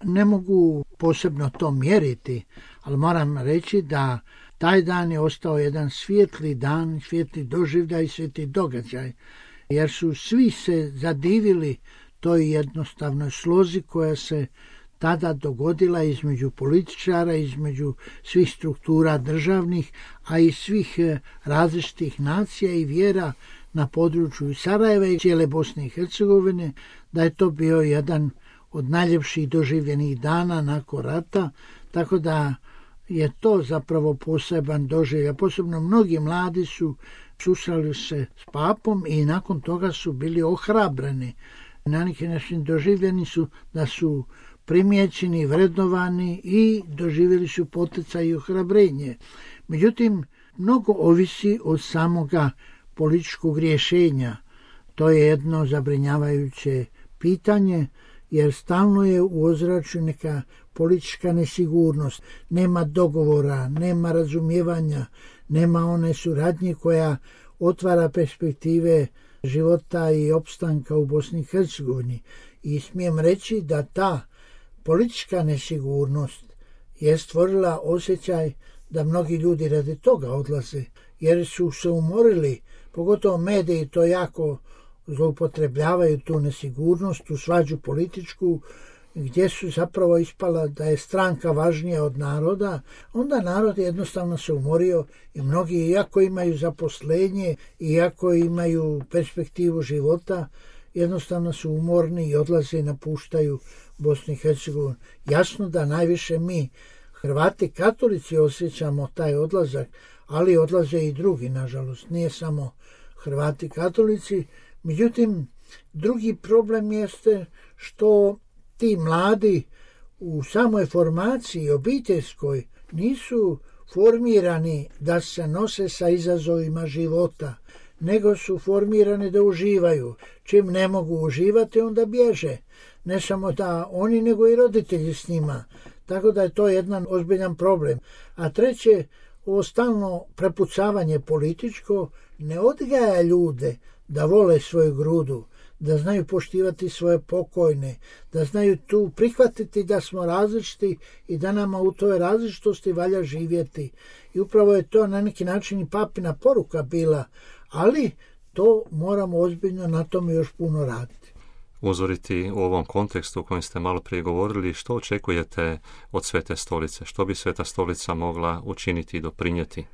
ne mogu posebno to mjeriti, ali moram reći da taj dan je ostao jedan svijetli dan, svijetli doživljaj, svijetli događaj, jer su svi se zadivili toj jednostavnoj slozi koja se tada dogodila između političara, između svih struktura državnih, a i svih različitih nacija i vjera na području Sarajeva i cijele Bosne i Hercegovine, da je to bio jedan od najljepših doživljenih dana nakon rata, tako da je to zapravo poseban doživljaj. Posebno mnogi mladi su susreli se s papom i nakon toga su bili ohrabreni. Na neki način doživljeni su da su primijećeni, vrednovani i doživjeli su poticaj i ohrabrenje. Međutim, mnogo ovisi od samoga političkog rješenja. To je jedno zabrinjavajuće pitanje, jer stalno je u ozračju neka politička nesigurnost. Nema dogovora, nema razumijevanja, nema one suradnje koja otvara perspektive života i opstanka u Bosni i Hercegovini. I smijem reći da ta politička nesigurnost je stvorila osjećaj da mnogi ljudi radi toga odlaze, jer su se umorili, pogotovo mediji to jako zloupotrebljavaju tu nesigurnost, tu svađu političku, gdje su zapravo ispala da je stranka važnija od naroda, onda narod jednostavno se umorio i mnogi, iako imaju zaposlenje, iako imaju perspektivu života, jednostavno su umorni i odlaze i napuštaju Bosnu i Hercegovinu. Jasno da najviše mi, Hrvati katolici, osjećamo taj odlazak, ali odlaze i drugi, nažalost. Nije samo Hrvati katolici. Međutim, drugi problem jeste što ti mladi u samoj formaciji obiteljskoj nisu formirani da se nose sa izazovima života, nego su formirani da uživaju. Čim ne mogu uživati, onda bježe. Ne samo da oni, nego i roditelji s njima. Tako da je to jedan ozbiljan problem. A treće, ovo stalno prepucavanje političko ne odgaja ljude da vole svoju grudu, da znaju poštivati svoje pokojne, da znaju tu prihvatiti da smo različiti i da nama u toj različitosti valja živjeti. I upravo je to na neki način i papina poruka bila, ali to moramo ozbiljno na tome još puno raditi. Uzoriti u ovom kontekstu u kojem ste malo prije govorili, što očekujete od Svete stolice? Što bi Sveta stolica mogla učiniti i doprinijeti?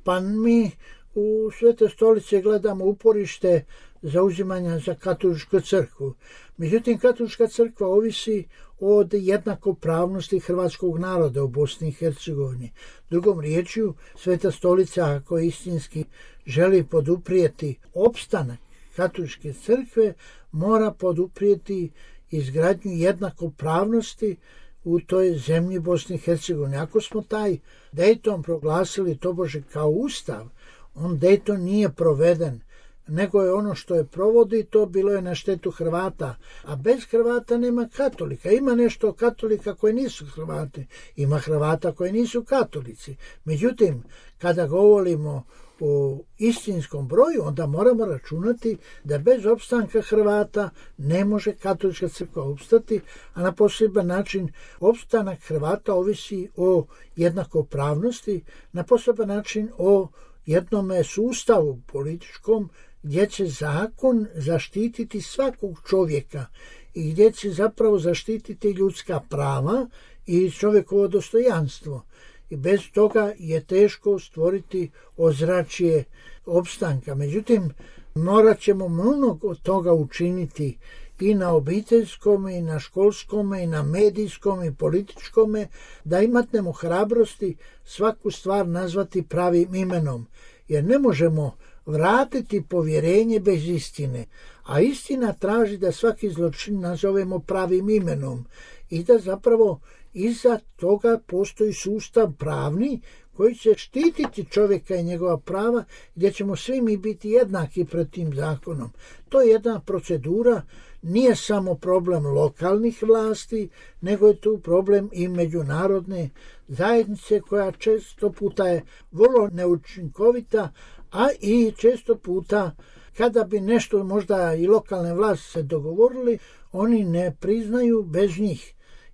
Pa mi u Svete stolice gledamo uporište zauzimanja za katoličku crkvu. Međutim, katolička crkva ovisi od jednakopravnosti hrvatskog naroda u Bosni i Hercegovini. Drugom riječju, Sveta stolica, ako istinski želi poduprijeti opstanak katoličke crkve, mora poduprijeti izgradnju jednakopravnosti u toj zemlji Bosni i Hercegovine. Ako smo taj Dayton proglasili tobože kao ustav, on Dayton nije proveden, nego je ono što je provodi, to bilo je na štetu Hrvata. A bez Hrvata nema katolika. Ima nešto katolika koji nisu Hrvati, ima Hrvata koji nisu katolici. Međutim, kada govorimo o istinskom broju, onda moramo računati da bez opstanka Hrvata ne može katolička crkva opstati, a na poseban način opstanak Hrvata ovisi o jednakopravnosti, na poseban način o jednome sustavu političkom gdje će zakon zaštititi svakog čovjeka i gdje će zapravo zaštititi ljudska prava i čovjekovo dostojanstvo. I bez toga je teško stvoriti ozračje opstanka. Međutim, morat ćemo mnogo od toga učiniti i na obiteljskom, i na školskom, i na medijskom, i političkom, da imatnemo hrabrosti svaku stvar nazvati pravim imenom. Jer ne možemo vratiti povjerenje bez istine. A istina traži da svaki zločin nazovemo pravim imenom i da zapravo iza toga postoji sustav pravni koji će štititi čovjeka i njegova prava, gdje ćemo svi mi biti jednaki pred tim zakonom. To je jedna procedura, nije samo problem lokalnih vlasti, nego je tu problem i međunarodne zajednice koja često puta je vrlo neučinkovita, a i često puta kada bi nešto možda i lokalne vlasti se dogovorili, oni ne priznaju bez njih.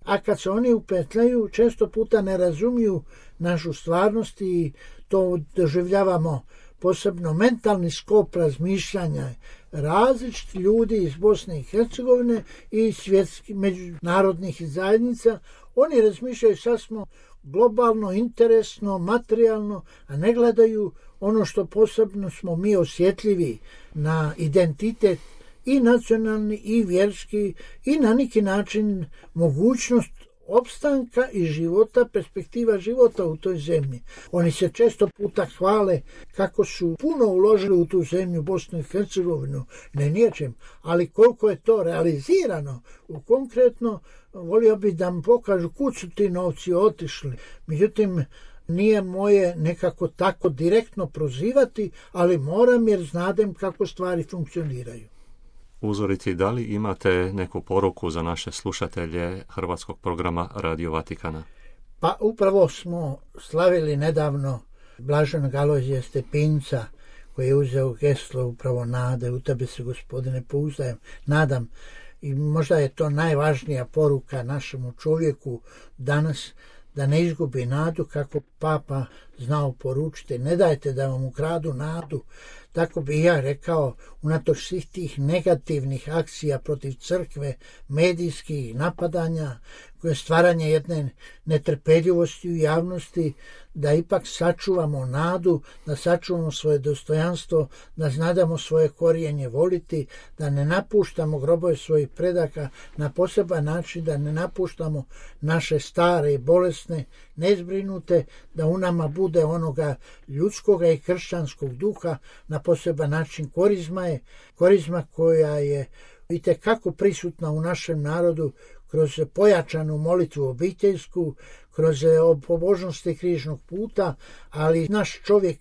a kad se oni upetljaju, često puta ne razumiju našu stvarnost i to doživljavamo posebno mentalni skop razmišljanja različiti ljudi iz Bosne i Hercegovine i svjetskih međunarodnih zajednica. Oni razmišljaju sasvim globalno, interesno, materijalno, a ne gledaju ono što posebno smo mi osjetljivi na identitet i nacionalni i vjerski i na neki način mogućnost opstanka i života, perspektiva života u toj zemlji. Oni se često puta hvale kako su puno uložili u tu zemlju, Bosnu i Hercegovinu, ne ničem, ali koliko je to realizirano konkretno, volio bi da mi pokažu kud su ti novci otišli. Međutim, nije moje nekako tako direktno prozivati, ali moram jer znadem kako stvari funkcioniraju. Uzoriti, da li imate neku poruku za naše slušatelje hrvatskog programa Radio Vatikana? Pa upravo smo slavili nedavno blaženog Alojzija Stepinca, koji je uzeo geslo upravo nade, u tebe se, Gospodine, pouzdajem, nadam. I možda je to najvažnija poruka našemu čovjeku danas, da ne izgubi nadu, kako Papa znao poručiti. Ne dajte da vam ukradu nadu. Tako bi ja rekao, unatoč svih tih negativnih akcija protiv crkve, medijskih napadanja, koje stvaranje jedne netrpeljivosti u javnosti, da ipak sačuvamo nadu, da sačuvamo svoje dostojanstvo, da znadamo svoje korijenje voliti, da ne napuštamo grobove svojih predaka na poseban način, da ne napuštamo naše stare i bolesne, nezbrinute, da u nama bude onoga ljudskoga i kršćanskog duha na poseban način. Korizma koja je itekako prisutna u našem narodu kroz pojačanu molitvu obiteljsku, kroz pobožnosti križnog puta, ali naš čovjek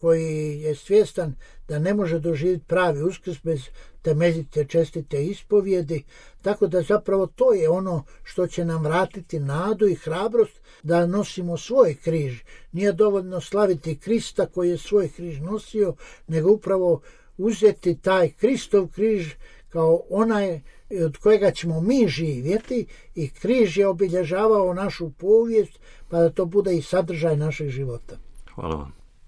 koji je svjestan da ne može doživjeti pravi uskrs bez temeljite čestite ispovjedi, tako da zapravo to je ono što će nam vratiti nadu i hrabrost da nosimo svoj križ. Nije dovoljno slaviti Krista koji je svoj križ nosio, nego upravo uzeti taj Kristov križ kao onaj od kojega ćemo mi živjeti, i križ je obilježavao našu povijest, pa da to bude i sadržaj našeg života. Hvala vam.